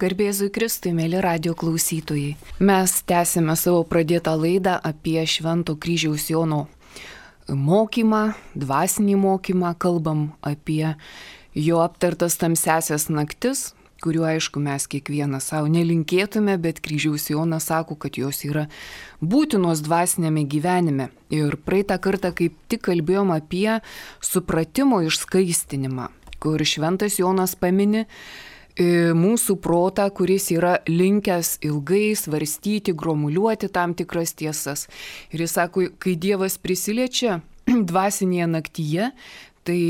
Garbėzui Kristui, mėly radio klausytojai. Mes tęsime savo pradėtą laidą apie Švento Kryžiaus Jono mokymą, dvasinį mokymą, kalbam apie jo aptartas tamsiasias naktis, kuriuo aišku mes kiekvienas savo nelinkėtume, bet Kryžiaus Jonas sako, kad jos yra būtinos dvasinėme gyvenime. Ir praeitą kartą kaip tik kalbėjom apie supratimo išskaistinimą, kur Šventas Jonas pamini mūsų protą, kuris yra linkęs ilgai svarstyti, gromuliuoti tam tikras tiesas. Ir jis sako, kai Dievas prisiliečia dvasinėje naktyje, tai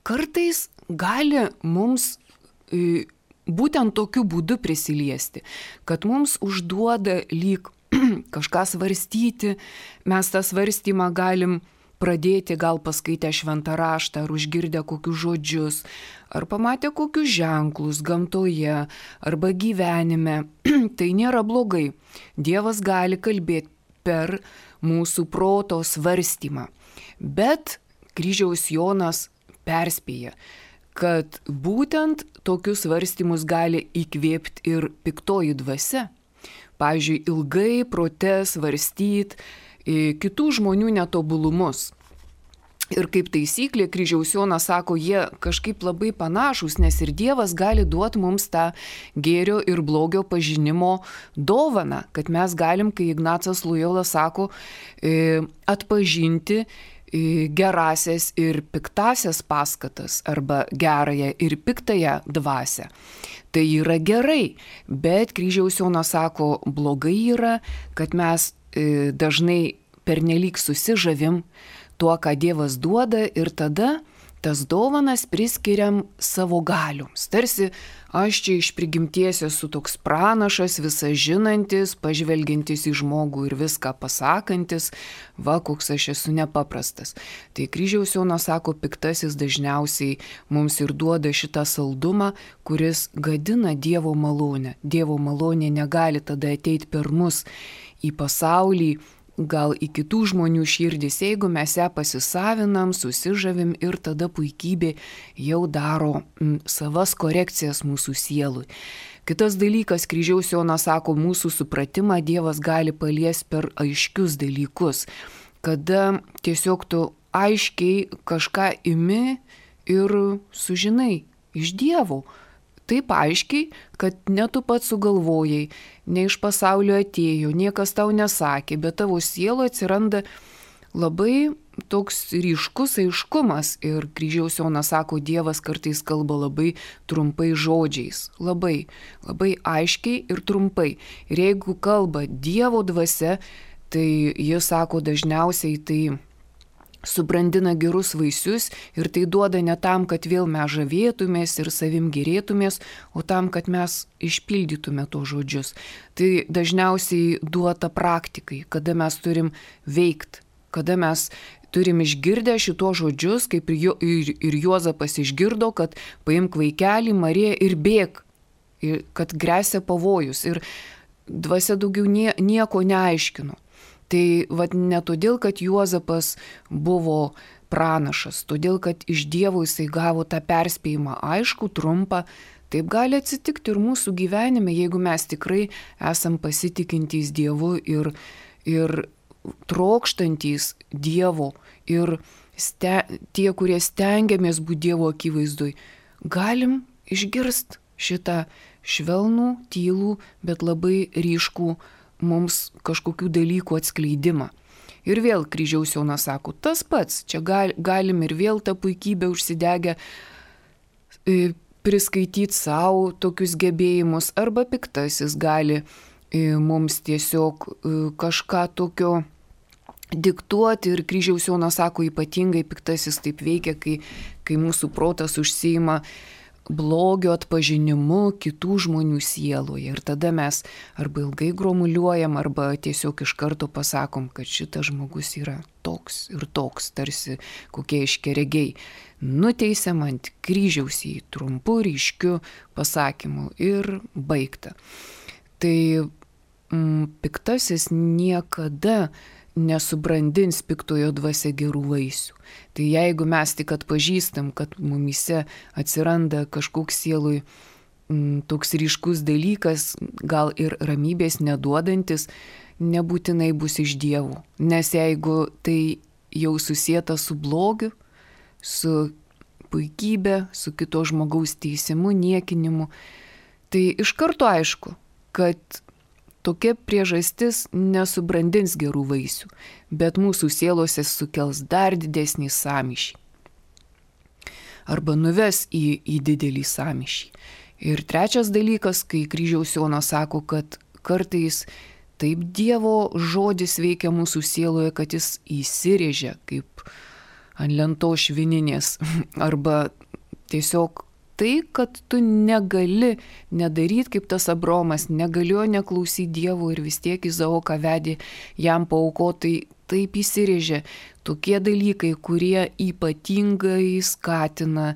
kartais gali mums būtent tokiu būdu prisiliesti, kad mums užduoda lyg kažką svarstyti, mes tą svarstymą galim pradėti gal paskaitę šventą raštą, ar užgirdę kokius žodžius, ar pamatę kokius ženklus gamtoje, arba gyvenime. Tai nėra blogai. Dievas gali kalbėti per mūsų proto svarstymą. Bet Kryžiaus Jonas perspėja, kad būtent tokius svarstymus gali įkvėpti ir piktoji dvasia. Pavyzdžiui, ilgai prote svarstyti kitų žmonių netobulumus. Ir kaip taisyklė, Kryžiaus Jonas sako, jie kažkaip labai panašus, nes ir Dievas gali duoti mums tą gėrio ir blogio pažinimo dovaną, kad mes galim, kai Ignacas Lojola sako, atpažinti gerasias ir piktasias paskatas arba gerąją ir piktąją dvasią. Tai yra gerai, bet Kryžiaus Jonas sako, blogai yra, kad mes dažnai pernelyg susižavim tuo, ką Dievas duoda ir tada tas dovanas priskiriam savo galioms. Tarsi aš čia iš prigimties esu toks pranašas, visą žinantis, pažvelgiantis į žmogų ir viską pasakantis, va, koks aš esu nepaprastas. Tai Kryžiaus Jonas sako, piktasis dažniausiai mums ir duoda šitą saldumą, kuris gadina Dievo malonę. Dievo malonė negali tada ateiti per mus į pasaulį, gal į kitų žmonių širdis, jeigu mes ją pasisavinam, susižavim ir tada puikybė jau daro savas korekcijas mūsų sielui. Kitas dalykas, Kryžiaus Jonas sako, mūsų supratimą Dievas gali paliesti per aiškius dalykus, kada tiesiog tu aiškiai kažką imi ir sužinai iš Dievo. Taip aiškiai, kad ne tu pats sugalvojai, ne iš pasaulio atėjo, niekas tau nesakė, bet tavo sielo atsiranda labai toks ryškus aiškumas. Ir Kryžiaus Jonas sako, Dievas kartais kalba labai trumpai žodžiais, labai aiškiai ir trumpai. Ir jeigu kalba Dievo dvasia, tai jis sako, dažniausiai tai subrandina gerus vaisius ir tai duoda ne tam, kad vėl mes žavėtumės ir savim gerėtumės, o tam, kad mes išpildytume to žodžius. Tai dažniausiai duota praktikai, kada mes turim veikti, kada mes turim išgirdę šito žodžius, kaip ir Juozapas išgirdo, kad paimk vaikelį, Mariją ir bėk, kad gresia pavojus. Ir dvasia daugiau nieko neaiškino. Tai ne todėl, kad Juozapas buvo pranašas, todėl, kad iš Dievo jisai gavo tą perspėjimą aišku, trumpą. Taip gali atsitikti ir mūsų gyvenime, jeigu mes tikrai esam pasitikintys Dievu ir trokštantys Dievo ir tie, kurie stengiamės būti Dievo akivaizdoj, galim išgirsti šitą švelnų, tylų, bet labai ryškų mums kažkokių dalykų atskleidimą. Ir vėl Kryžiaus Jonas sako, tas pats, čia galim ir vėl tą puikybę užsidegę priskaityti savo tokius gebėjimus, arba piktasis gali mums tiesiog kažką tokio diktuoti. Ir Kryžiaus Jonas sako, ypatingai piktasis taip veikia, kai mūsų protas užsiima blogio atpažinimu kitų žmonių sieloje. Ir tada mes arba ilgai gromuliuojam, arba tiesiog iš karto pasakom, kad šitas žmogus yra toks ir toks, tarsi kokie iškeregiai. Nuteisiam ant kryžiaus jį trumpu, ryškiu pasakymu ir baigta. Tai piktasis niekada nesubrandins piktojo dvasia gerų vaisių. Tai jeigu mes tik atpažįstam, kad mumyse atsiranda kažkoks sielui toks ryškus dalykas, gal ir ramybės neduodantis, nebūtinai bus iš dievų. Nes jeigu tai jau susieta su blogiu, su puikybė, su kito žmogaus teisimu, niekinimu, tai iš karto aišku, kad tokia priežastis nesubrandins gerų vaisių, bet mūsų sielose sukels dar didesnį sąmyšį. Arba nuves į didelį sąmyšį. Ir trečias dalykas, kai kryžiaus Jonas sako, kad kartais taip Dievo žodis veikia mūsų sieloje, kad jis įsirėžia kaip ant lentos švininės. Arba tiesiog tai, kad tu negali nedaryti kaip tas Abromas, negalėjo neklausyti Dievo ir vis tiek Izaoką vedė jam paaukoti, taip įsirėžia. Tokie dalykai, kurie ypatingai skatina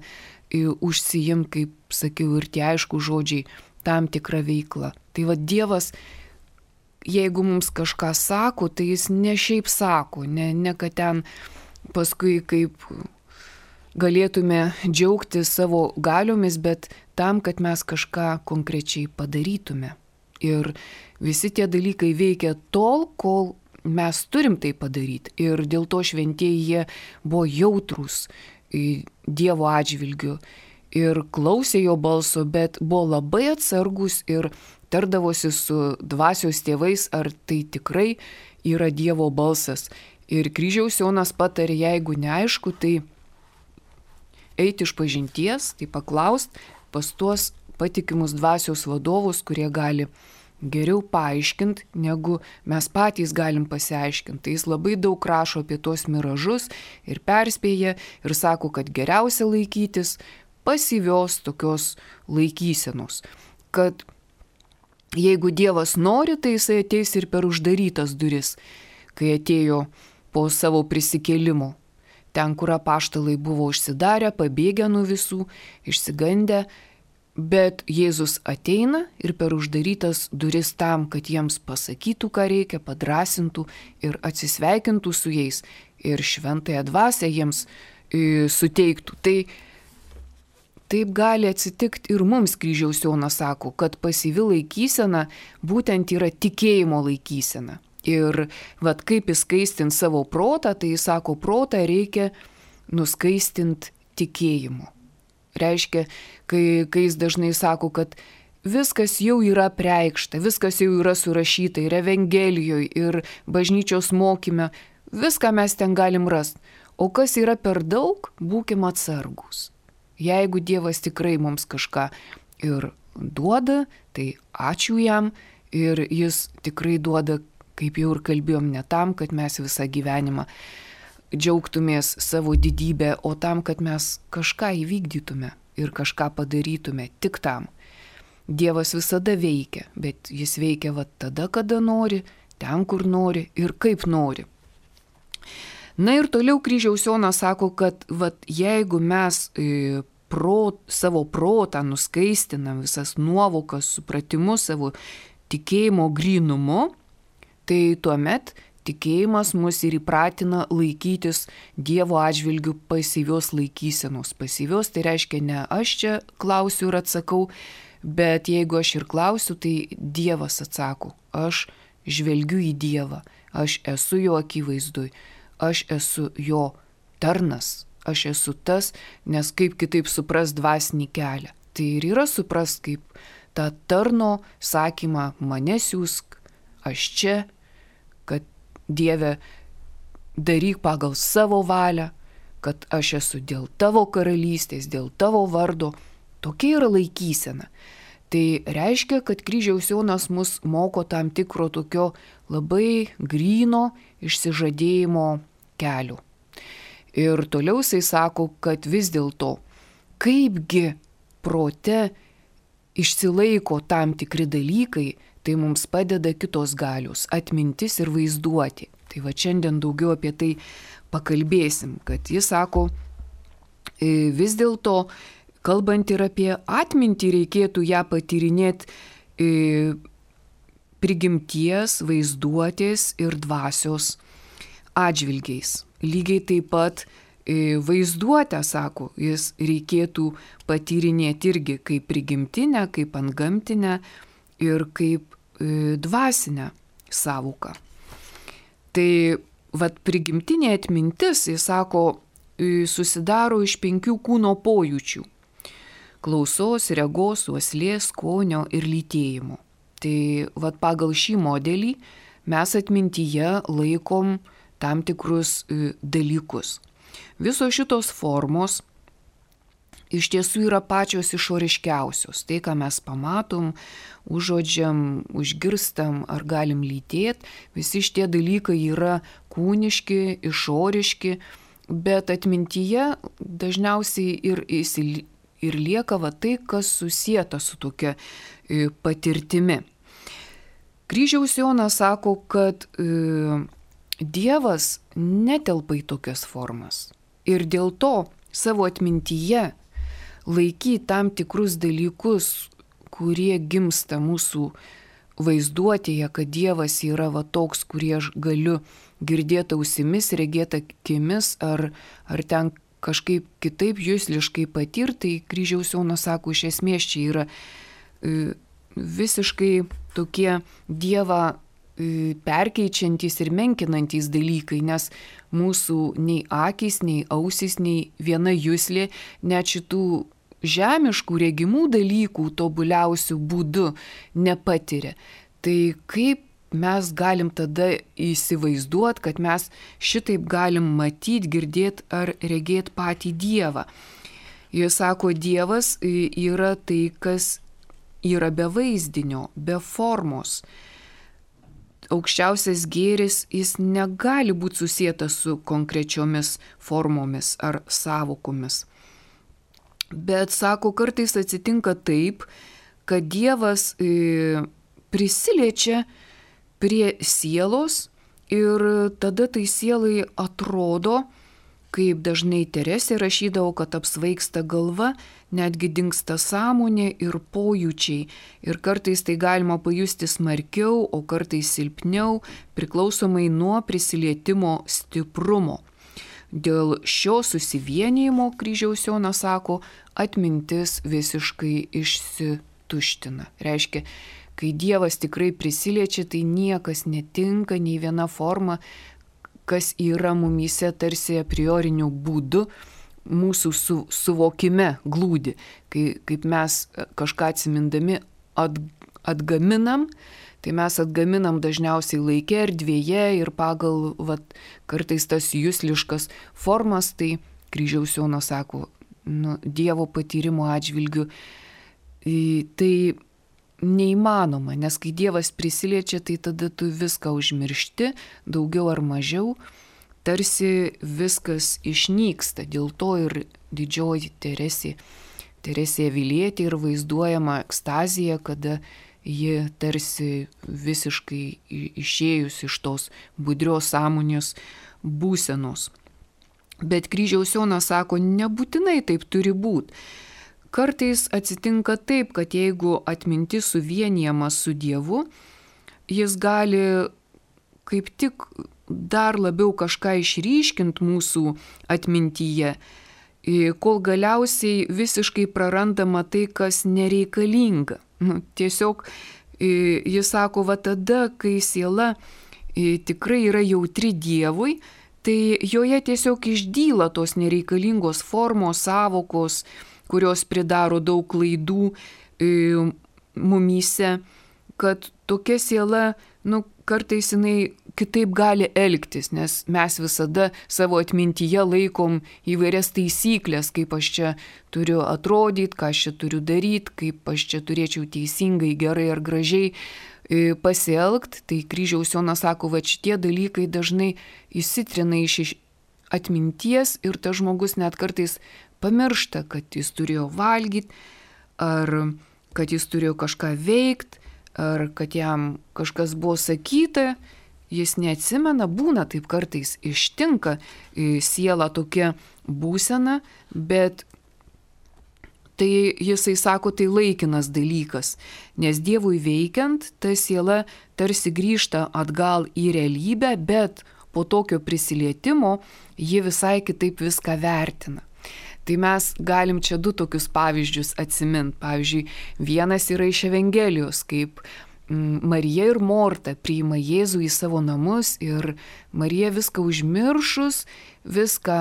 užsijimti, kaip sakiau, ir tie aišku žodžiai, tam tikrą veiklą. Tai va Dievas, jeigu mums kažką sako, tai jis ne šiaip sako, ne kad ten paskui kaip galėtume džiaugti savo galiomis, bet tam, kad mes kažką konkrečiai padarytume. Ir visi tie dalykai veikia tol, kol mes turim tai padaryti. Ir dėl to šventieji jie buvo jautrūs Dievo atžvilgiu ir klausė jo balso, bet buvo labai atsargus ir tardavosi su dvasios tėvais, ar tai tikrai yra Dievo balsas. Ir kryžiaus Jonas patarė, jeigu neaišku, tai eiti iš pažinties, tai paklaust pas tuos patikimus dvasios vadovus, kurie gali geriau paaiškinti, negu mes patys galim pasiaiškinti. Tai jis labai daug rašo apie tuos miražus ir perspėja ir sako, kad geriausia laikytis pasyvios tokios laikysenos. Kad jeigu Dievas nori, tai jisai ateis ir per uždarytas duris, kai atėjo po savo prisikėlimo. Ten, kur apaštalai buvo užsidarę, pabėgę nuo visų, išsigandę, bet Jėzus ateina ir per uždarytas duris tam, kad jiems pasakytų, ką reikia, padrasintų ir atsisveikintų su jais ir šventąją dvasią jiems suteiktų. Tai taip gali atsitikti ir mums, kryžiaus Jonas sako, kad pasyvi laikysena būtent yra tikėjimo laikysena. Ir vat kaip įskaistinti savo protą, tai jis sako, protą reikia nuskaistinti tikėjimu. Reiškia, kai jis dažnai sako, kad viskas jau yra preikšta, viskas jau yra surašyta ir Evangelijoje, ir bažnyčios mokyme, viską mes ten galim rasti. O kas yra per daug, būkim atsargus. Jeigu Dievas tikrai mums kažką ir duoda, tai ačiū jam ir jis tikrai duoda, kaip jau ir kalbėjom, ne tam, kad mes visą gyvenimą džiaugtumės savo didybę, o tam, kad mes kažką įvykdytume ir kažką padarytume tik tam. Dievas visada veikia, bet jis veikia va tada, kada nori, ten, kur nori ir kaip nori. Na ir toliau kryžiaus Jonas sako, kad va, jeigu mes savo protą nuskaistinam, visas nuovokas, supratimus, savo tikėjimo grynumu, tai tuomet tikėjimas mus ir įpratina laikytis Dievo atžvilgių pasyvios laikysenos. Pasyvios tai reiškia ne aš čia klausiu ir atsakau, bet jeigu aš ir klausiu, tai Dievas atsako. Aš žvelgiu į Dievą, aš esu jo akivaizdui, aš esu jo tarnas, aš esu tas, nes kaip kitaip supras dvasinį kelią. Tai ir yra supras kaip tą tarno sakymą, mane siųsk, aš čia, kad Dieve daryk pagal savo valią, kad aš esu dėl tavo karalystės, dėl tavo vardo. Tokia yra laikysena. Tai reiškia, kad kryžiaus Jonas mus moko tam tikro tokio labai gryno išsižadėjimo kelio. Ir toliau jisai sako, kad vis dėlto, kaipgi prote išsilaiko tam tikri dalykai, tai mums padeda kitos galios, atmintis ir vaizduoti. Tai va šiandien daugiau apie tai pakalbėsim, kad jis sako, vis dėlto, kalbant ir apie atmintį, reikėtų ją patyrinėti prigimties, vaizduotės ir dvasios atžvilgiais. Lygiai taip pat vaizduotę, sako, jis reikėtų patyrinėti irgi kaip prigimtinę, kaip antgamtinę ir kaip dvasinę sąvoką. Tai vat prigimtinė atmintis, jis sako, susidaro iš 5 kūno pojūčių - klausos, regos, uoslės, skonio ir lytėjimo. Tai vat pagal šį modelį mes atmintyje laikom tam tikrus dalykus. Visos šitos formos iš tiesų yra pačios išoriškiausios. Tai, ką mes pamatom, užuodžiam, užgirstam ar galim lytėti, visi šitie dalykai yra kūniški, išoriški, bet atmintyje dažniausiai ir lieka va tai, kas susieta su tokia patirtimi. Kryžiaus Jonas sako, kad Dievas netelpa į tokias formas ir dėl to savo atmintyje laikyti tam tikrus dalykus, kurie gimsta mūsų vaizduotėje, kad Dievas yra va toks, kurį aš galiu girdėti ausimis, regėti akimis ar ten kažkaip kitaip jusliškai patirti, tai Kryžiaus Jonas sako, iš esmės čia yra visiškai tokie Dievą perkeičiantys ir menkinantys dalykai, nes mūsų nei akys, nei ausys, nei viena juslė net šitų žemiškų regimų dalykų tobuliausių būdų nepatiria. Tai kaip mes galim tada įsivaizduoti, kad mes šitaip galim matyti, girdėti ar regėti patį Dievą. Jis sako, Dievas yra tai, kas yra be vaizdinio, be formos. Aukščiausias gėris, jis negali būti susietas su konkrečiomis formomis ar sąvokomis. Bet, sako, kartais atsitinka taip, kad Dievas prisiliečia prie sielos ir tada tai sielai atrodo, kaip dažnai Teresė rašydavo, kad apsvaigsta galva, netgi dingsta sąmonė ir pojūčiai. Ir kartais tai galima pajusti smarkiau, o kartais silpniau, priklausomai nuo prisilietimo stiprumo. Dėl šio susivienijimo, Kryžiaus Jonas sako, atmintis visiškai išsituština. Reiškia, kai Dievas tikrai prisiliečia, tai niekas netinka, nei viena forma, kas yra mumyse tarsi a prioriniu būdu mūsų suvokime glūdi. Kaip mes kažką atsimindami atgaminam, tai mes atgaminam dažniausiai laike, erdvėje ir pagal kartais tas jusliškas formas, tai Kryžiaus Jonas sako, Dievo patyrimo atžvilgiu, tai neįmanoma, nes kai Dievas prisiliečia, tai tada tu viską užmiršti, daugiau ar mažiau, tarsi viskas išnyksta. Dėl to ir didžioji Teresė Avilietė ir vaizduojama ekstazija, kada ji tarsi visiškai išėjus iš tos budrios sąmonės būsenos. Bet Kryžiaus Jonas sako, nebūtinai taip turi būti. Kartais atsitinka taip, kad jeigu atmintis suvienijama su Dievu, jis gali kaip tik dar labiau kažką išryškinti mūsų atmintyje, kol galiausiai visiškai prarandama tai, kas nereikalinga. Tiesiog jis sako, va tada, kai siela tikrai yra jautri Dievui, tai joje tiesiog išdyla tos nereikalingos formos, sąvokos, kurios pridaro daug klaidų mumyse, kad tokia siela, kartais jinai kitaip gali elgtis, nes mes visada savo atmintyje laikom įvairias taisyklės, kaip aš čia turiu atrodyti, ką aš čia turiu daryti, kaip aš čia turėčiau teisingai, gerai ar gražiai pasielgti. Tai Kryžiaus Jonas sako, va šitie dalykai dažnai įsitrina iš atminties ir tas žmogus net kartais pamiršta, kad jis turėjo valgyti, ar kad jis turėjo kažką veikti, ar kad jam kažkas buvo sakyta, jis neatsimena, būna taip kartais ištinka siela tokia būsena, bet tai jisai sako, tai laikinas dalykas, nes Dievui veikiant, ta siela tarsi grįžta atgal į realybę, bet po tokio prisilietimo ji visai kitaip viską vertina. Tai mes galim čia du tokius pavyzdžius atsiminti. Pavyzdžiui, vienas yra iš Evangelijos, kaip Marija ir Morta priima Jėzų į savo namus ir Marija viską užmiršus, viską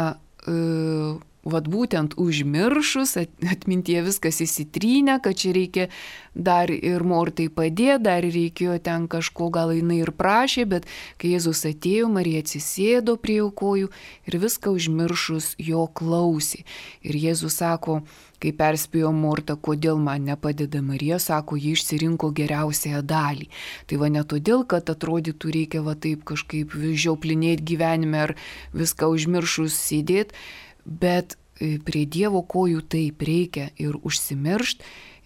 vat būtent užmiršus, atmintyje viskas įsitrynę, kad čia reikia dar ir Mortai padėti, dar reikėjo ten kažko, gal jinai ir prašė, bet kai Jėzus atėjo, Marija atsisėdo prie jo kojų ir viską užmiršus jo klausė. Ir Jėzus sako, kai perspėjo Mortą, kodėl man nepadeda Marija, sako, ji išsirinko geriausiąją dalį. Tai va ne todėl, kad atrodytų reikia va taip kažkaip žiauplinėti gyvenime ar viską užmiršus sėdėti, bet prie Dievo kojų taip reikia ir užsimiršti,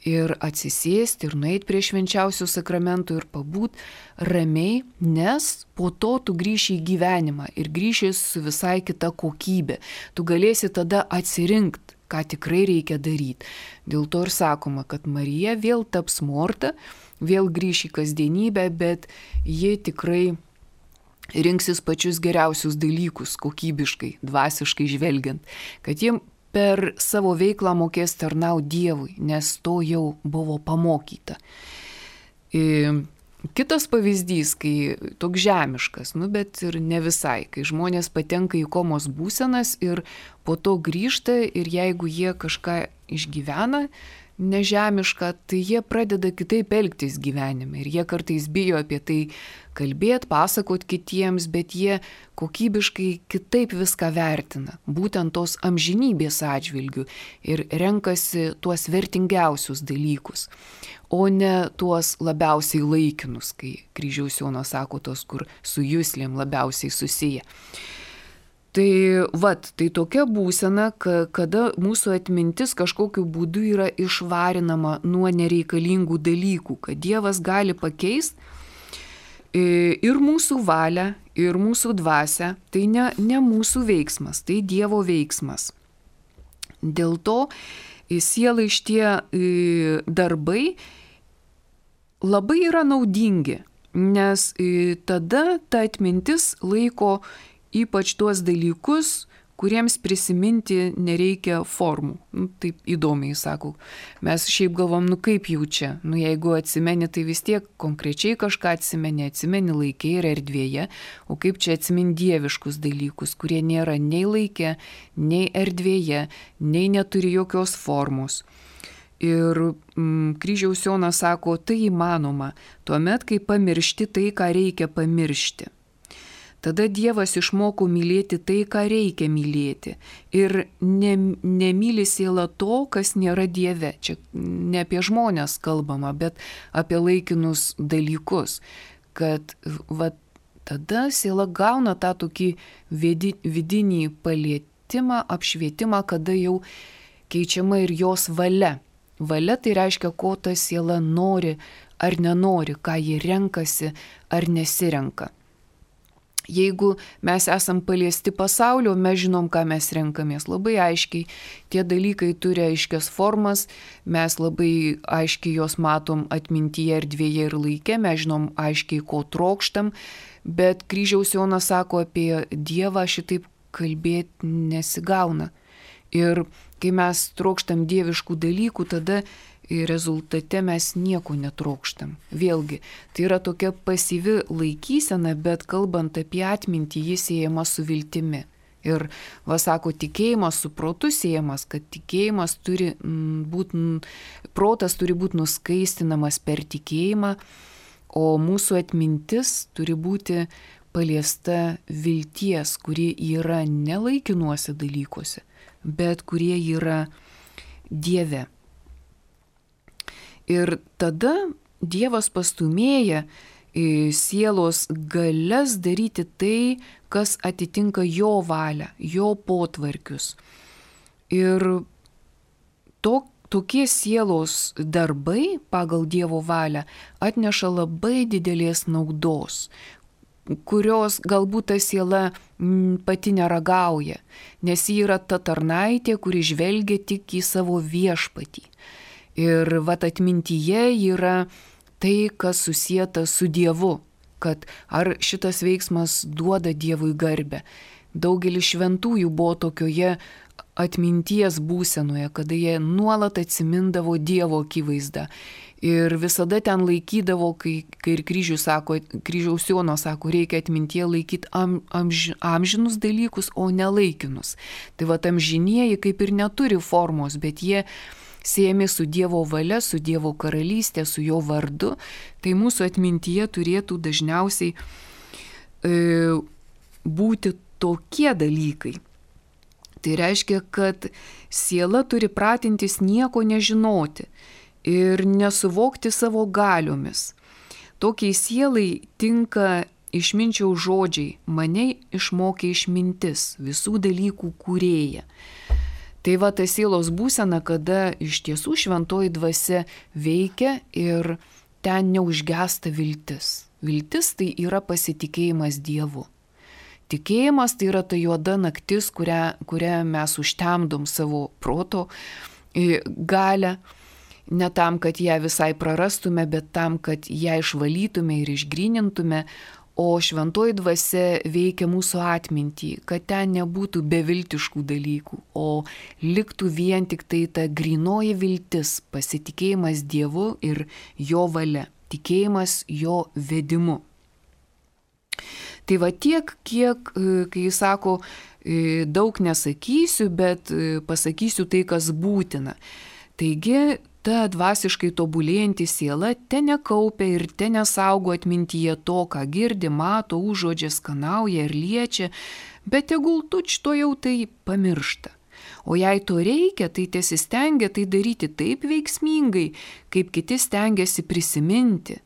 ir atsisėsti, ir nueiti prie švenčiausių sakramentų, ir pabūt ramiai, nes po to tu grįši į gyvenimą ir grįši su visai kita kokybė. Tu galėsi tada atsirinkti, ką tikrai reikia daryti. Dėl to ir sakoma, kad Marija vėl taps Morta, vėl grįš į kasdienybę, bet ji tikrai rinksis pačius geriausius dalykus, kokybiškai, dvasiškai žvelgiant, kad jie per savo veiklą mokės tarnauti Dievui, nes to jau buvo pamokyta. Kitas pavyzdys, kai toks žemiškas, bet ir ne visai, kai žmonės patenka į komos būsenas ir po to grįžta ir jeigu jie kažką išgyvena, nežemišką, tai jie pradeda kitaip elgtis gyvenime ir jie kartais bijo apie tai kalbėti, pasakoti kitiems, bet jie kokybiškai kitaip viską vertina, būtent tos amžinybės atžvilgių ir renkasi tuos vertingiausius dalykus, o ne tuos labiausiai laikinus, kai Kryžiaus Jonas sako tos, kur su juslėm labiausiai susiję. Tai tokia būsena, kada mūsų atmintis kažkokiu būdu yra išvarinama nuo nereikalingų dalykų, kad Dievas gali pakeisti ir mūsų valią, ir mūsų dvasią, tai ne mūsų veiksmas, tai Dievo veiksmas. Dėl to sielai šitie darbai labai yra naudingi, nes tada ta atmintis laiko ypač tuos dalykus, kuriems prisiminti nereikia formų. Taip įdomiai sakau. Mes šiaip galvom, kaip jau čia. Jeigu atsimeni, tai vis tiek konkrečiai kažką atsimeni laike ir erdvėje, o kaip čia atsimeni dieviškus dalykus, kurie nėra nei laike, nei erdvėje, nei neturi jokios formos. Ir Kryžiaus Jonas sako, tai įmanoma, tuomet, kai pamiršti tai, ką reikia pamiršti. Tada Dievas išmoko mylėti tai, ką reikia mylėti. Ir nemyli siela to, kas nėra Dieve. Čia ne apie žmonės kalbama, bet apie laikinus dalykus. Kad tada siela gauna tą tokį vidinį palietimą, apšvietimą, kada jau keičiama ir jos valia. Valia tai reiškia, ko ta siela nori ar nenori, ką ji renkasi ar nesirenka. Jeigu mes esam paliesti pasaulio, mes žinom, ką mes renkamės labai aiškiai. Tie dalykai turi aiškias formas, mes labai aiškiai jos matom atmintyje, erdvėje ir laike, mes žinom aiškiai, ko trokštam, bet Kryžiaus Jonas sako, apie Dievą šitaip kalbėti nesigauna. Ir kai mes trokštam dieviškų dalykų, tada rezultate mes nieko netrokštam. Vėlgi, tai yra tokia pasyvi laikysena, bet kalbant apie atmintį, jis siejama su viltimi. Ir, sako, tikėjimas su protu siejamas, kad tikėjimas turi būti, protas turi būti nuskaistinamas per tikėjimą, o mūsų atmintis turi būti paliesta vilties, kurie yra ne laikinuose dalykuose, bet kurie yra Dieve. Ir tada Dievas pastumėja sielos galias daryti tai, kas atitinka jo valią, jo potvarkius. Ir tokie sielos darbai pagal Dievo valią atneša labai didelės naudos, kurios galbūt ta siela pati neragauja, nes ji yra ta tarnaitė, kuri žvelgia tik į savo viešpatį. Ir atmintyje yra tai, kas susieta su Dievu. kad ar šitas veiksmas duoda Dievui garbę. Daugelis šventųjų buvo tokioje atminties būsenoje, kada jie nuolat atsimindavo Dievo akivaizdą. Ir visada ten laikydavo, kai ir kryžiaus Jono sako, reikia atmintie laikyti amžinus dalykus, o ne laikinus. Tai va amžinieji kaip ir neturi formos, bet jie siejami su Dievo valia, su Dievo karalystė, su jo vardu. Tai mūsų atmintyje turėtų dažniausiai būti tokie dalykai. Tai reiškia, kad siela turi pratintis nieko nežinoti ir nesuvokti savo galiomis. Tokiai sielai tinka išminčiaus žodžiai, mane išmokė išmintis, visų dalykų kūrėja. Tai va ta sielos būsena, kada iš tiesų šventoji dvasia veikia ir ten neužgesta viltis. Viltis tai yra pasitikėjimas Dievu. Tikėjimas tai yra ta juoda naktis, kurią mes užtemdom savo proto galią, ne tam, kad ją visai prarastume, bet tam, kad ją išvalytume ir išgrynintume, o šventoji dvasia veikia mūsų atmintį, kad ten nebūtų beviltiškų dalykų, o liktų vien tik tai ta grynoji viltis, pasitikėjimas Dievu ir jo valia, tikėjimas jo vedimu. Tai va tiek, kiek, kai jis sako, daug nesakysiu, bet pasakysiu tai, kas būtina. Taigi, ta dvasiškai tobulėjanti siela te nekaupia ir te nesaugo atmintyje to, ką girdi, mato, užuodžia, skanauja ir liečia, bet tegul tučto jau tai pamiršta. O jei to reikia, tai tesistengia tai daryti taip veiksmingai, kaip kiti stengiasi prisiminti,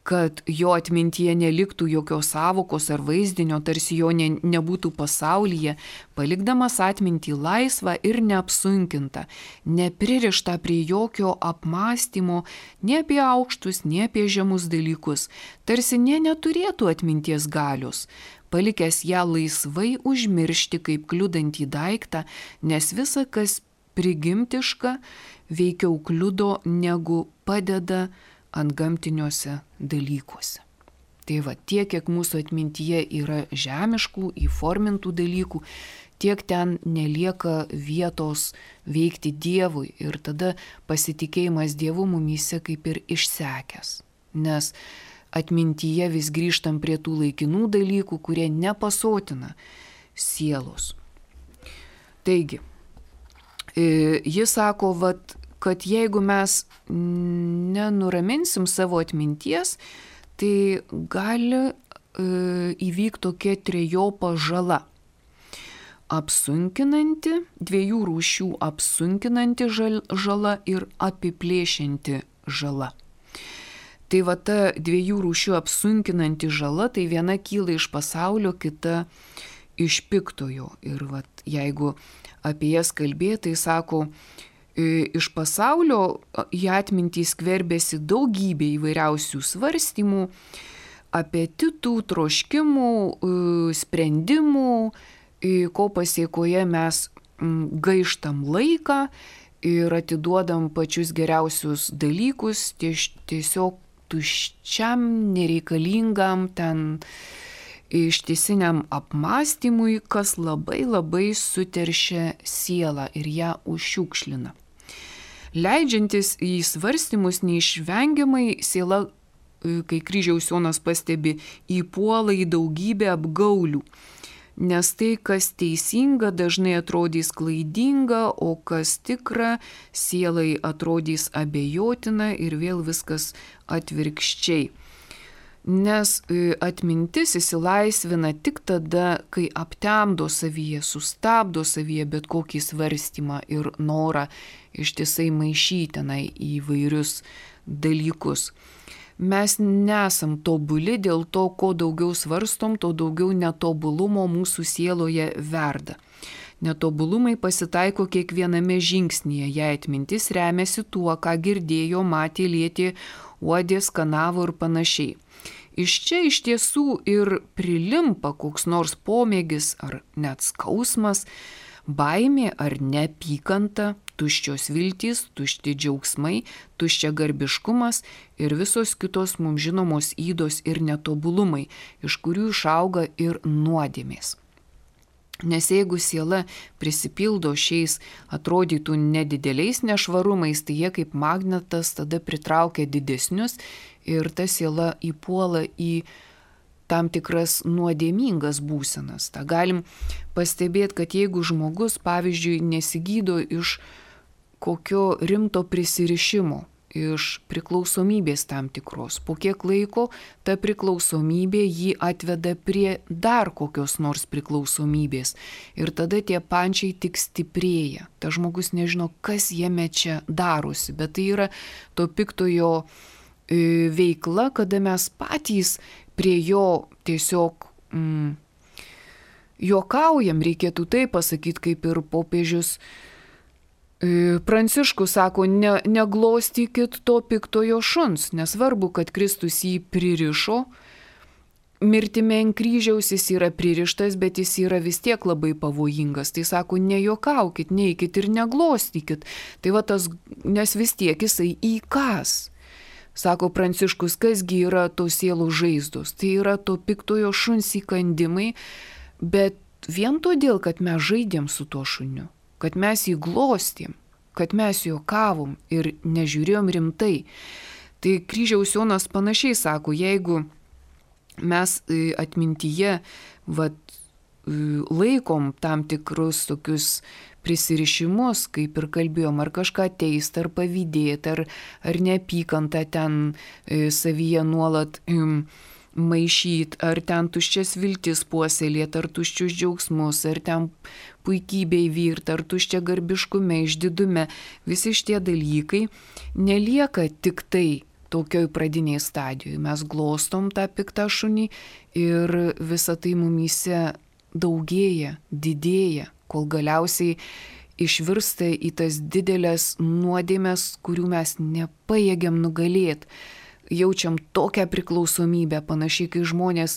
kad jo atmintyje neliktų jokios savokos ar vaizdinio, tarsi jo nebūtų pasaulyje, palikdamas atmintį laisvą ir neapsunkintą, nepririštą prie jokio apmąstymo, nei apie aukštus, nei apie žemus dalykus, tarsi neturėtų atminties galios, palikęs ją laisvai užmiršti kaip kliudantį daiktą, nes visa, kas prigimtiška, veikiau kliudo negu padeda antgamtiniuose dalykuose. Tai va, tiek, kiek mūsų atmintyje yra žemiškų, įformintų dalykų, tiek ten nelieka vietos veikti Dievui ir tada pasitikėjimas Dievu mumyse kaip ir išsekęs. Nes atmintyje vis grįžtam prie tų laikinų dalykų, kurie nepasotina sielos. Taigi, jis sako, kad jeigu mes nenuraminsim savo atminties, tai gali įvykti tokia trejopa žala. Apsunkinanti, dviejų rūšių apsunkinanti žala ir apiplėšianti žala. Tai va ta dviejų rūšių apsunkinanti žala, tai viena kyla iš pasaulio, kita iš piktojo. Ir va, jeigu apie jas kalbėti, tai sako, iš pasaulio į atmintį skverbėsi daugybė įvairiausių svarstymų, apetitų, troškimų, sprendimų, ko pasiekoje mes gaištam laiką ir atiduodam pačius geriausius dalykus tiesiog tuščiam, nereikalingam ten ištisiniam apmąstymui, kas labai labai suteršia sielą ir ją užšiukšlina. Leidžiantis į svarstymus neišvengiamai siela, kai kryžiaus Jonas pastebi, įpuola į daugybę apgaulių, nes tai, kas teisinga, dažnai atrodys klaidinga, o kas tikra, sielai atrodys abejotina ir vėl viskas atvirkščiai. Nes atmintis įsilaisvina tik tada, kai aptemdo savyje, sustabdo savyje bet kokį svarstymą ir norą ištisai maišyti įvairius dalykus. Mes nesam tobuli, dėl to, ko daugiau svarstom, to daugiau netobulumo mūsų sieloje verda. Netobulumai pasitaiko kiekviename žingsnyje, jei atmintis remiasi tuo, ką girdėjo, matė, lietė, uodė, skanavo ir panašiai. Iš čia iš tiesų ir prilimpa koks nors pomėgis ar net skausmas, baimė ar neapykanta, tuščios viltys, tušti džiaugsmai, tuščia garbiškumas ir visos kitos mums žinomos ydos ir netobulumai, iš kurių išauga ir nuodėmės. Nes jeigu siela prisipildo šiais atrodytų nedideliais nešvarumais, tai jie kaip magnetas tada pritraukia didesnius ir ta siela įpuola į tam tikras nuodėmingas būsenas. Ta galim pastebėti, kad jeigu žmogus, pavyzdžiui, nesigydo iš kokio rimto prisirišimo, iš priklausomybės tam tikros, po kiek laiko ta priklausomybė jį atveda prie dar kokios nors priklausomybės ir tada tie pančiai tik stiprėja. Ta žmogus nežino, kas jame čia darosi, bet tai yra to piktojo veikla, kada mes patys prie jo tiesiog juokaujam, reikėtų tai pasakyti, kaip ir popiežius Pranciškus sako, neglostykit to piktojo šuns, nesvarbu, kad Kristus jį pririšo, mirtimi ant kryžiaus jis yra pririštas, bet jis yra vis tiek labai pavojingas. Tai sako, nejuokaukit, neikit ir neglostykit. Tai va tas, nes vis tiek jisai įkas. Sako Pranciškus, kasgi yra to sielų žaizdos. Tai yra to piktojo šuns įkandimai, bet vien todėl, kad mes žaidėm su tuo šuniu, kad mes jį glostėm, kad mes juokavom ir nežiūrėjom rimtai. Tai Kryžiaus Jonas panašiai sako, jeigu mes atmintyje laikom tam tikrus tokius prisirišimus, kaip ir kalbėjom, ar kažką teist, ar pavydėt, ar neapykantą ten savyje nuolat maišyt, ar ten tuščias viltis puoselėt, ar tuščius džiaugsmus, ar ten puikybei vyrt, ar tuščia garbiškume, išdidume, visi šitie dalykai nelieka tik tai tokioj pradiniai stadijoje. Mes glostom tą piktą šunį ir visa tai mumyse daugėja, didėja, kol galiausiai išvirsta į tas didelės nuodėmes, kurių mes nepajėgiam nugalėti. Jaučiam tokią priklausomybę, panašiai kai žmonės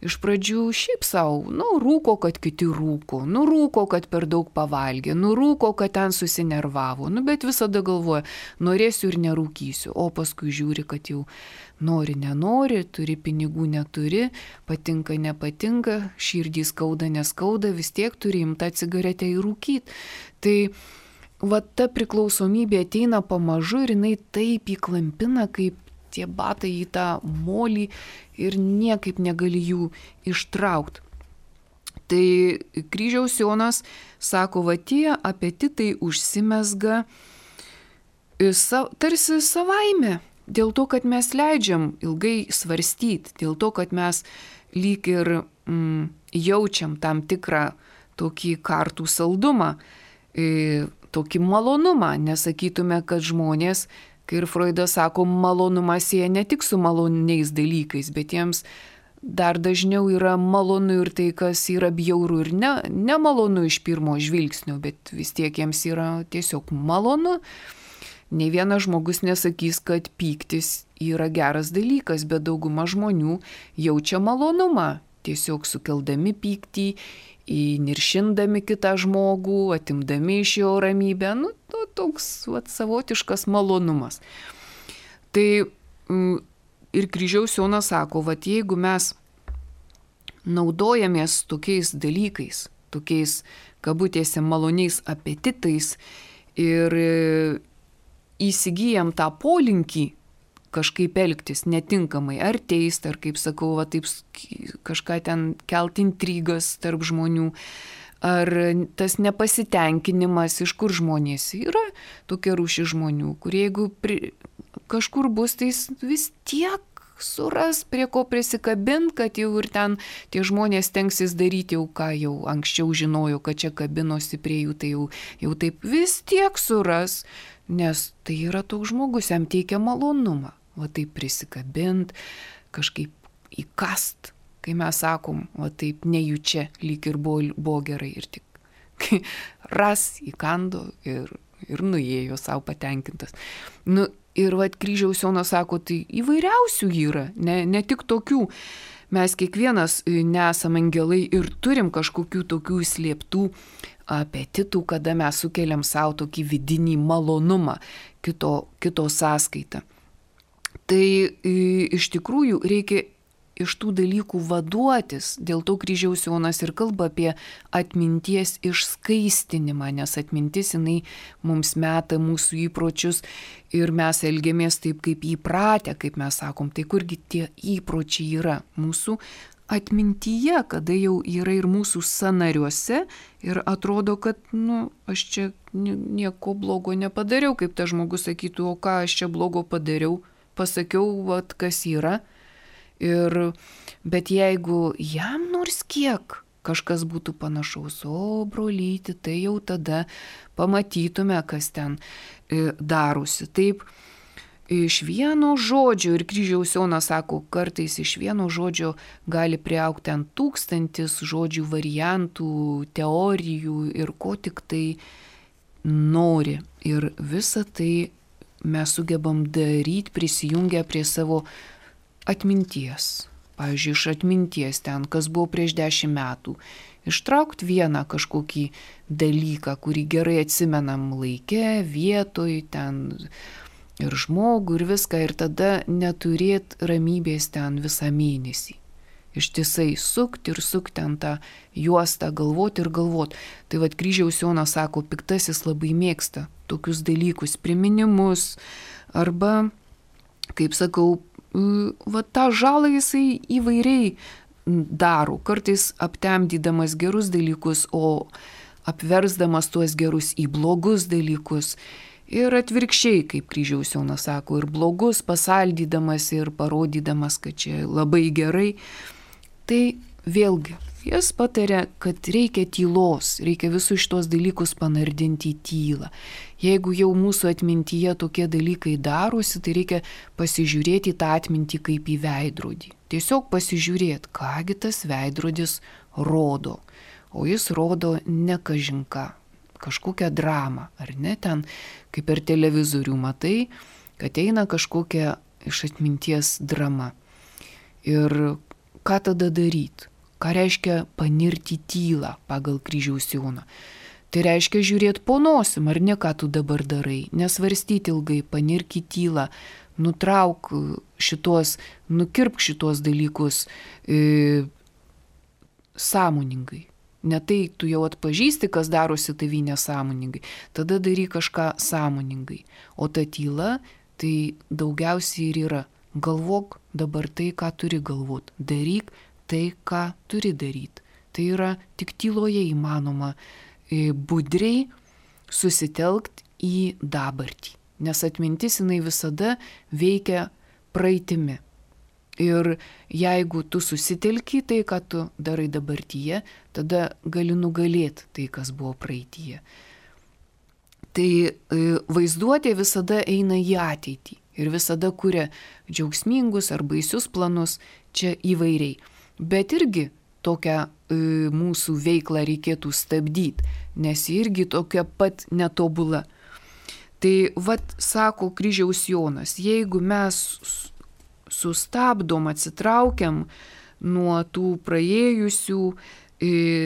iš pradžių šiaip savo, rūko, kad kiti rūko, rūko, kad per daug pavalgė, rūko, kad ten susinervavo, bet visada galvoja, norėsiu ir nerūkysiu, o paskui žiūri, kad jau nori, nenori, turi pinigų, neturi, patinka, nepatinka, širdį skauda, neskauda, vis tiek turi imtą cigaretę įrūkyti. Tai ta priklausomybė ateina pamažu ir jinai taip įklampina, kaip tie batai į tą molį ir niekaip negali jų ištraukti. Tai Kryžiaus Jonas sako, tie apetitai užsimezga tarsi savaime, dėl to, kad mes leidžiam ilgai svarstyti, dėl to, kad mes lyg ir jaučiam tam tikrą tokį kartų saldumą, tokį malonumą, nesakytume, kad žmonės, kai ir Freudas sako, malonumas sieja ne tik su maloniais dalykais, bet jiems dar dažniau yra malonu ir tai, kas yra bjauru ir nemalonu iš pirmo žvilgsnio, bet vis tiek jiems yra tiesiog malonu. Ne vienas žmogus nesakys, kad pyktis yra geras dalykas, bet dauguma žmonių jaučia malonumą, tiesiog sukeldami pyktį, įniršindami kitą žmogų, atimdami iš jo ramybę, toks savotiškas malonumas. Tai ir Kryžiaus Jonas sako, jeigu mes naudojamės tokiais dalykais, tokiais kabutėse maloniais apetitais ir įsigyjam tą polinkį kažkaip elgtis netinkamai, ar teist, ar kaip sakau, taip kažką ten kelt intrigas tarp žmonių, ar tas nepasitenkinimas, iš kur žmonės yra tokia rūšis žmonių, kurie jeigu kažkur bus, tai vis tiek suras prie ko prisikabint, kad jau ir ten tie žmonės tenksis daryti jau ką jau anksčiau žinojo, kad čia kabinosi prie jų, tai jau taip vis tiek suras, nes tai yra toks žmogus, jam teikia malonumą. Taip prisikabint, kažkaip įkast, kai mes sakom, taip nejučia, lyg ir buvo gerai ir tik ras įkando ir nuėjo savo patenkintas. Ir Kryžiaus Jonas sako, tai įvairiausių yra, ne tik tokių. mes kiekvienas nesam angelai ir turim kažkokių tokių slėptų apetitų, kada mes sukeliam savo tokį vidinį malonumą kito sąskaitą. Tai iš tikrųjų reikia iš tų dalykų vaduotis. Dėl to Kryžiaus Jonas ir kalba apie atminties išskaistinimą, nes atmintis jinai mums meta mūsų įpročius ir mes elgiamės taip, kaip įpratę, kaip mes sakom. Tai kurgi tie įpročiai yra? Mūsų atmintyje, kada jau yra ir mūsų sąnariuose ir atrodo, kad, aš čia nieko blogo nepadariau, kaip tas žmogus sakytų, o ką aš čia blogo padariau, pasakiau, kas yra. Bet jeigu jam nors kiek kažkas būtų panašaus, o brolyti, tai jau tada pamatytume, kas ten darosi. Taip, iš vieno žodžio, ir Kryžiaus Jonas sako, kartais iš vieno žodžio gali priaugti ant 1000 žodžių variantų, teorijų ir ko tik tai nori. Ir visą tai mes sugebam daryti prisijungę prie savo atminties. Pavyzdžiui, iš atminties ten, kas buvo prieš 10 metų. Ištraukti vieną kažkokį dalyką, kurį gerai atsimenam laike, vietoj, ten ir žmogų ir viską, ir tada neturėt ramybės ten visą mėnesį. Ištisai sukti ir sukti ten tą juostą, galvoti ir galvoti. Tai vat Kryžiaus Jonas sako, piktasis labai mėgsta tokius dalykus, priminimus, arba, kaip sakau, tą žalą jisai įvairiai daro, kartais aptemdydamas gerus dalykus, o apversdamas tuos gerus į blogus dalykus. Ir atvirkščiai, kaip Kryžiaus Jonas sako, ir blogus pasaldydamas ir parodydamas, kad čia labai gerai. Tai vėlgi, jis pataria, kad reikia tylos, reikia visus šitos dalykus panardinti į tylą. Jeigu jau mūsų atmintyje tokie dalykai darosi, tai reikia pasižiūrėti į tą atmintį kaip į veidrodį. Tiesiog pasižiūrėti, kągi tas veidrodis rodo. O jis rodo ne kažinką, kažkokią dramą, ar ne? Ten, kaip per televizorių matai, kad eina kažkokia iš atminties drama. Ir ką tada daryti? Ką reiškia panirti tylą pagal Kryžiaus Joną? Tai reiškia žiūrėti po nosim, ar ne, ką tu dabar darai, nesvarstyti ilgai, panirk į tylą, nutrauk šitos, nukirpk šitos dalykus sąmoningai. Ne tai tu jau atpažįsti, kas darosi tavy nesąmoningai, tada daryk kažką sąmoningai. O ta tyla, tai daugiausiai ir yra. Galvok dabar tai, ką turi galvoti, daryk tai, ką turi daryti. Tai yra tik tyloje įmanoma budriai susitelkti į dabartį, nes atmintis jinai visada veikia praeitimi. Ir jeigu tu susitelki tai, ką tu darai dabartyje, tada gali nugalėti tai, kas buvo praeityje. Tai vaizduotė visada eina į ateitį ir visada kuria džiaugsmingus ar baisius planus, čia įvairiai. Bet irgi tokią mūsų veiklą reikėtų stabdyti, nes irgi tokia pat netobula. Tai sako Kryžiaus Jonas, jeigu mes sustabdom, atsitraukiam nuo tų praėjusių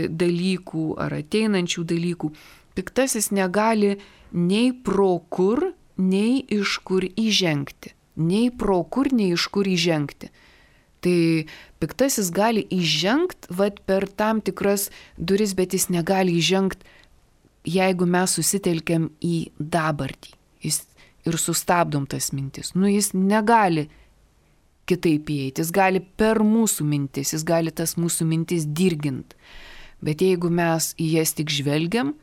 dalykų ar ateinančių dalykų, piktasis negali nei pro kur, nei iš kur įžengti. Nei pro kur, nei iš kur įžengti. Tai piktasis gali įžengti per tam tikras duris, bet jis negali įžengti, jeigu mes susitelkiam į dabartį ir sustabdom tas mintis. Jis negali kitaip įeiti, jis gali per mūsų mintis, jis gali tas mūsų mintis dirginti. Bet jeigu mes į jas tik žvelgiam,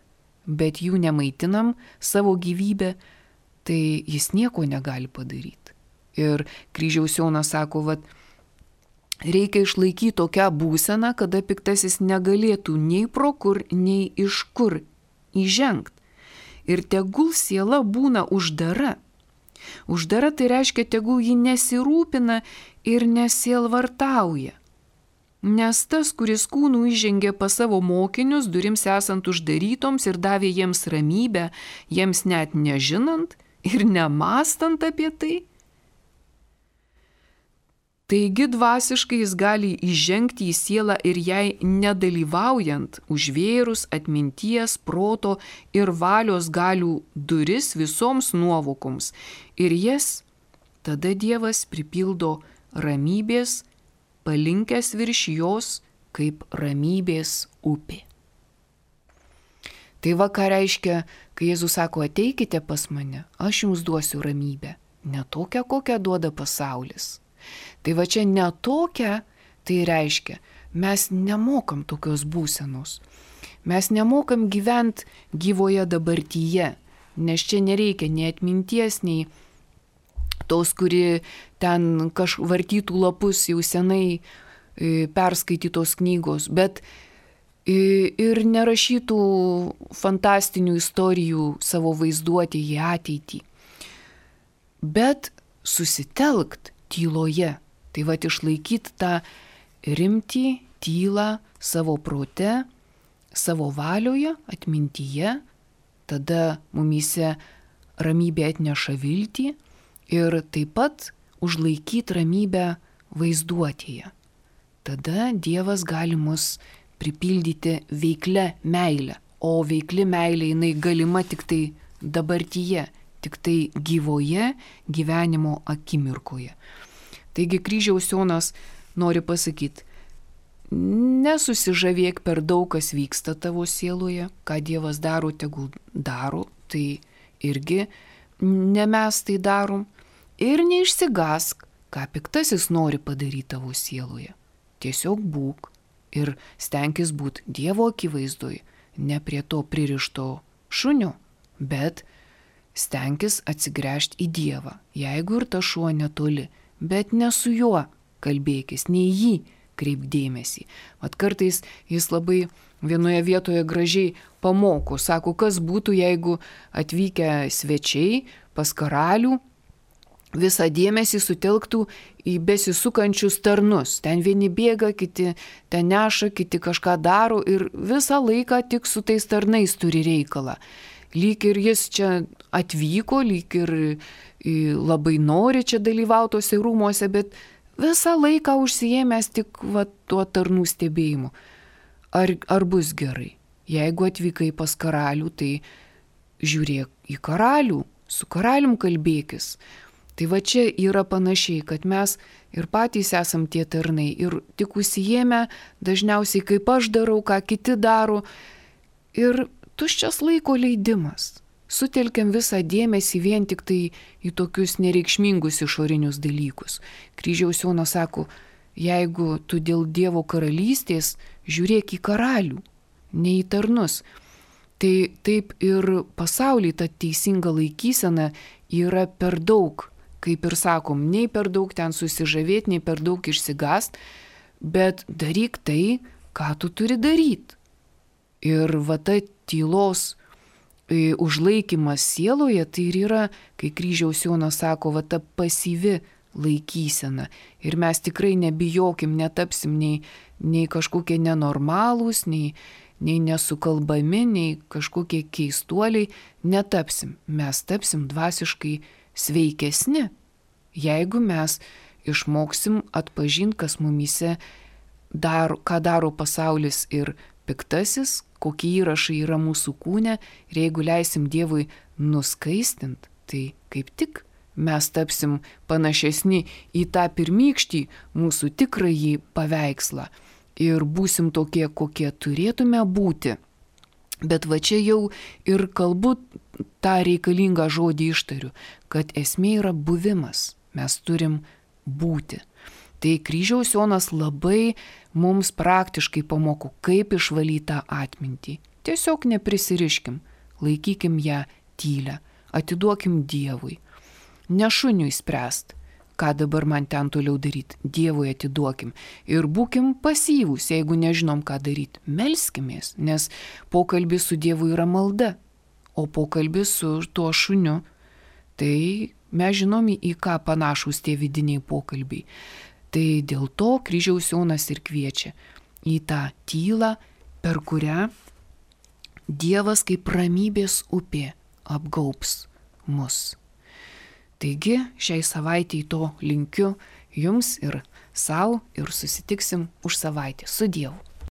bet jų nemaitinam savo gyvybę, tai jis nieko negali padaryti. Ir Kryžiaus Jonas sako, reikia išlaikyti tokią būseną, kada piktasis negalėtų nei pro kur, nei iš kur įžengti. Ir tegul siela būna uždara. Uždara tai reiškia, tegul ji nesirūpina ir nesielvartauja. Nes tas, kuris kūnų įžengė pas savo mokinius, durims esant uždarytoms ir davė jiems ramybę, jiems net nežinant ir nemastant apie tai, Taigi dvasiškai jis gali įžengti į sielą ir jai nedalyvaujant, užvėrus atminties, proto ir valios galių duris visoms nuovokoms. Ir jas tada Dievas pripildo ramybės, palinkęs virš jos kaip ramybės upė. Tai va ką reiškia, kai Jėzus sako, ateikite pas mane, aš jums duosiu ramybę. Ne tokią, kokią duoda pasaulis. Tai va čia ne tokia, tai reiškia, mes nemokam tokios būsenos. Mes nemokam gyventi gyvoje dabartyje, nes čia nereikia nei atminties, nei tos, kuri ten vartytų lapus jau senai perskaitytos knygos, bet ir nerašytų fantastinių istorijų savo vaizduotėje į ateitį. Bet susitelkt tyloje, tai va išlaikyti tą rimtį, tylą savo prote, savo valioje, atmintyje, tada mumyse ramybė atneša viltį ir taip pat užlaikyti ramybę vaizduotėje. Tada Dievas gali mus pripildyti veiklia meile, o veikli meilė jinai galima tik tai dabartyje, tik tai gyvoje gyvenimo akimirkoje. Taigi kryžiaus Jonas nori pasakyti, nesusižavėk per daug, kas vyksta tavo sieloje, ką Dievas daro, tegul daro, tai irgi ne mes tai darom, ir neišsigask, ką piktasis nori padaryti tavo sieloje. Tiesiog būk ir stenkis būti Dievo akivaizdoje, ne prie to pririšto šunio, bet stenkis atsigręžti į Dievą, jeigu ir ta šuo netoli, bet ne su juo kalbėkis, nei jį kreip dėmesį. Mat kartais jis labai vienoje vietoje gražiai pamoko, sako, kas būtų, jeigu atvykę svečiai pas karalių visą dėmesį sutelktų į besisukančius tarnus. Ten vieni bėga, kiti ten neša, kiti kažką daro ir visą laiką tik su tais tarnais turi reikalą. Lyg ir jis čia atvyko, lyg ir labai nori čia dalyvautose rūmuose, bet visą laiką užsiėmęs tik tuo tarnų stebėjimu. Ar bus gerai? Jeigu atvykai pas karalių, tai žiūrėk į karalių, su karalium kalbėkis. Tai va čia yra panašiai, kad mes ir patys esam tie tarnai ir tik užsiėmę dažniausiai kaip aš darau, ką kiti daro. Ir tuščias laiko leidimas. Sutelkiam visą dėmesį vien tik tai į tokius nereikšmingus išorinius dalykus. Kryžiaus Jonas sako, jeigu tu dėl Dievo karalystės, žiūrėk į karalių, ne į tarnus. Tai taip ir pasaulyje ta teisinga laikysena yra per daug, kaip ir sakom, nei per daug ten susižavėti, nei per daug išsigast, bet daryk tai, ką tu turi daryti. Ir va ta tylos užlaikymas sieloje, tai ir yra, kai kryžiaus Jonas sako, va ta pasyvi laikysena. Ir mes tikrai nebijokim, netapsim nei kažkokie nenormalūs, nei nesukalbami, nei kažkokie keistuoliai, netapsim. Mes tapsim dvasiškai sveikesni, jeigu mes išmoksim atpažinti, kas mumyse daro, ką daro pasaulis ir piktasis, kokie įrašai yra mūsų kūne, ir jeigu leisim Dievui nuskaistinti, tai kaip tik mes tapsim panašesni į tą pirmykštį mūsų tikrąjį paveikslą ir būsim tokie, kokie turėtume būti. Bet va čia jau ir kalbu tą reikalingą žodį ištariu, kad esmė yra buvimas, mes turim būti. Tai kryžiaus Jonas labai mums praktiškai pamoko, kaip išvalyti tą atmintį. Tiesiog neprisiriškim, laikykim ją tylę, atiduokim Dievui. Ne šuniui spręst, ką dabar man ten toliau daryti, Dievui atiduokim. Ir būkim pasyvūs, jeigu nežinom, ką daryti. Melskimės, nes pokalbis su Dievu yra malda, o pokalbis su tuo šuniu, tai mes žinom, į ką panašūs tie vidiniai pokalbiai. Tai dėl to kryžiaus Jonas ir kviečia į tą tylą, per kurią Dievas kaip ramybės upė apgaubs mus. Taigi šiai savaitei to linkiu jums ir sau ir susitiksim už savaitę. Su Dievu.